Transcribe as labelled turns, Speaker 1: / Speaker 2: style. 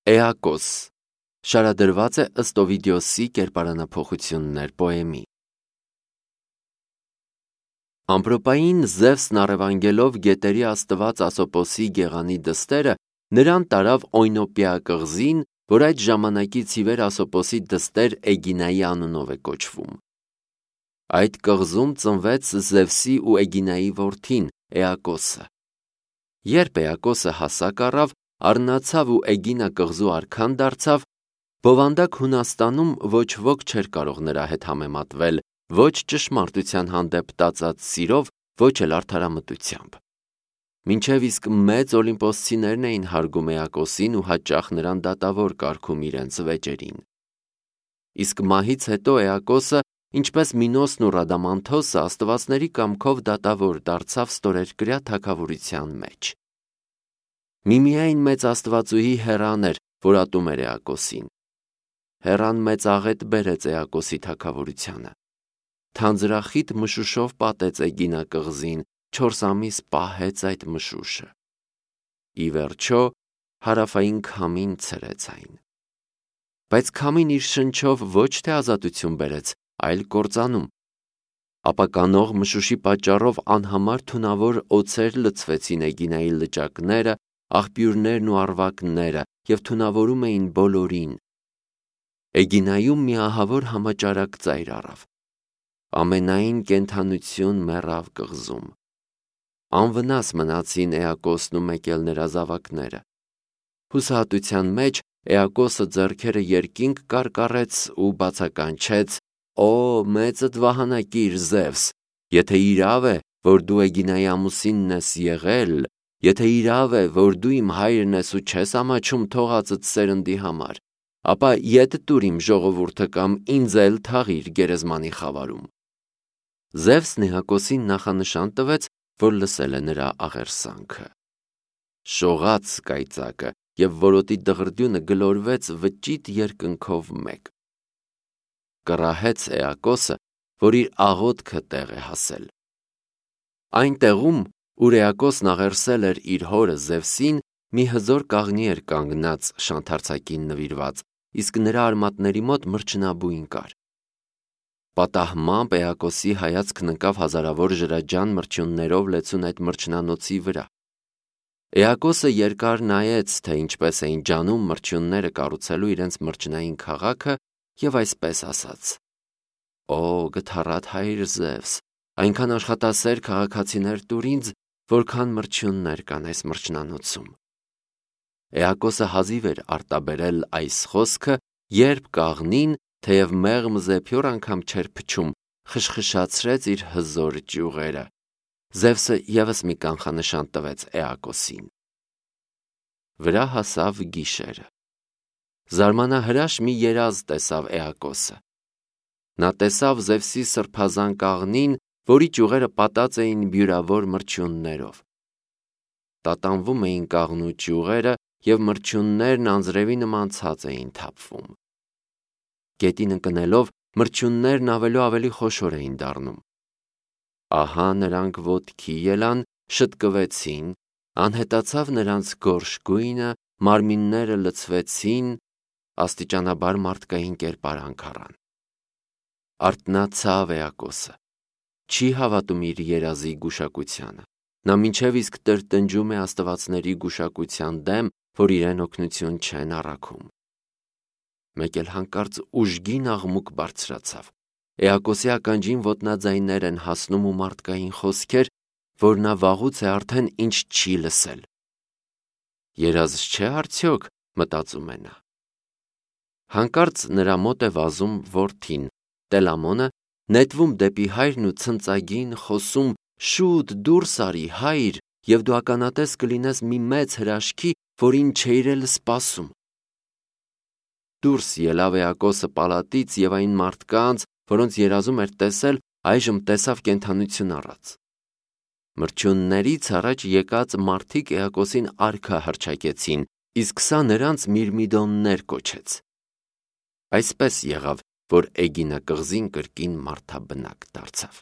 Speaker 1: Էակոս շարադրված է ըստ Օվիդիոսի կերպարանափոխություններ պոեմի։ Ամպրոպային Զևսն առևանգելով գետերի աստված Ասոպոսի գեղանի դստերը նրան տարավ Օյնոպիա կղզին, որ այդ ժամանակից ի վեր Ասոպոսի դստեր Էգինայի անունով է կոչվում։ Այդ կղզում ծնվեց Զևսի ու Էգինայի որդին Էակոսը։ Երբ Էակոսը հասակ առավ, առնացավ ու Էգինա կղզու արքան դարձավ, բովանդակ Հունաստանում ոչ ոք չէր կարող նրա հետ համեմատվել, ոչ ճշմարտության հանդեպ տածած սիրով, ոչ էլ արդարամտությամբ։ Մինչև իսկ մեծ օլիմպոսցիներն էին հարգում Էակոսին ու հաճախ նրան դատավոր կարգում իրենց վեճերին։ Իսկ մահից հետո Էակոսը, ինչպես Մինոսն ու Ռադամանթոսը, աստվածների կամքով դատավոր դարձավ ստորերկրյա թագավորության մեջ։ Միմիայն մեծ աստվածուհի Հեռան էր, որ ատում էր Էակոսին։ Հեռան մեծ աղետ բերեց Էակոսի թագավորությանը։ Թանձրախիտ մշուշով պատեց Էգինա կղզին, 4 ամիս պահեց այդ մշուշը։ Ի վերջո հարավային քամին ցրեց այն։ Բայց քամին իր շնչով ոչ թե ազատություն բերեց, այլ կործանում։ Ապականող մշուշի պատճառով անհամար թունավոր օձեր լցվեցին Էգինայի լճակները, աղբյուրներն ու առվակները և թունավորում էին բոլորին։ Էգինայում մի ահավոր համաճարակ ծայր առավ։ Ամենայն կենդանություն մեռավ կղզում։ Անվնաս մնացին Էակոսն ու մեկ էլ նրա զավակները։ Հուսահատության մեջ Էակոսը ձեռքերը երկինք կարկառեց ու բացականչեց. «Օ, մեծդ վահանակիր Զևս, եթե իրավ է, որ դու Էգինայի ամուսինն ես եղել, եթե իրավ է, որ դու իմ հայրն ես ու չես ամաչում թողածդ սերնդի համար, ապա ետ տուր իմ ժողովուրդը կամ ինձ էլ թաղիր գերեզմանի խավարում»։ Զևսն Էակոսին նախանշան տվեց, որ լսել է նրա աղերսանքը։ Շողաց կայծակը և որոտի դղրդյունը գլորվեց վճիտ երկնքով մեկ։ Կռահեց Էակոսը, որ իր աղոթքը տեղ է հասել։ Այն տեղում, ուր Էակոսն աղերսել էր իր հորը Զևսին, մի հզոր կաղնի էր կանգնած շանթարցակին նվիրված, իսկ նրա արմատների մոտ մրջնաբույն կար։ Պատահմամբ Էակոսի հայացքն ընկավ հազարավոր ջրաջան մրջյուններով լեցուն այդ մրջնանոցի վրա։ Էակոսը երկար նայեց, թե ինչպես էին ջանում մրջյունները կառուցելու իրենց մրջնային քաղաքը և այսպես ասաց. «Օ, գթառատ հայր Զևս, այնքան աշխատասեր քաղաքացիներ տուր ինձ, որքան մրջյուններ կան այս մրջնանոցում»։ Էակոսը հազիվ էր արտաբերել այս խոսքը, երբ կաղնին, թեև մեղմ զեփյուռ անգամ չէր փչում, խշխշացրեց իր հզոր ճյուղերը։ Զևսը ևս մի կանխանշան տվեց Էակոսին։ Վրա հասավ գիշերը։ Զարմանահրաշ մի երազ տեսավ Էակոսը։ Նա տեսավ Զևսի սրբազան կաղնին, որի ճյուղերը պատած էին բյուրավոր մրջյուններով։ Տատանվում էին կաղնու ճյուղերը և մրջյուններն անձրևի նման ցած էին թափվում։ Գետին ընկնելով մրջյուններն ավելի խոշոր էին դառնում։ Ահա նրանք ոտքի ելան, շտկվեցին, անհետացավ նրանց գորշ գույնը, մարմինները լցվեցին, աստիճանաբար մարդկային կերպարանք առան։ Արթնացավ Էակոսը։ Չի հավատում իր երազի գուշակությանը։ Նա մինչև իսկ տրտնջում է աստվածների գուշակության դեմ, որ իրեն օգնություն չեն առաքում։ Մեկ էլ հանկարծ ուժգին աղմուկ բարձրացավ։ Էակոսի ականջին ոտնաձայներ են հասնում ու մարդկային խոսքեր, որ նա վաղուց է արդեն ինչ չի լսել։ Երազ չէ՞ արդյոք, մտածում է նա։ Հանկարծ նրա մոտ է վազում որդին, Տելամոնը, նետվում դեպի հայրն ու ցնծագին խոսում. «Շուտ դուրս արի, հայր, և դու ականատես կլինես մի մեծ հրաշքի, որին չէիր էլ սպասում»։ Դուրս ելավ Էակոսը պալատից և այն մարդկանց, որոնց երազում էր տեսել, այժմ տեսավ կենդանություն առած։ Մրջյուններից առաջ եկած մարդիկ Էակոսին արքա հռչակեցին, իսկ սա նրանց միրմիդոններ կոչեց։ Այսպես եղավ, որ Էգինա կղզին կրկին մարդաբնակ դարձավ։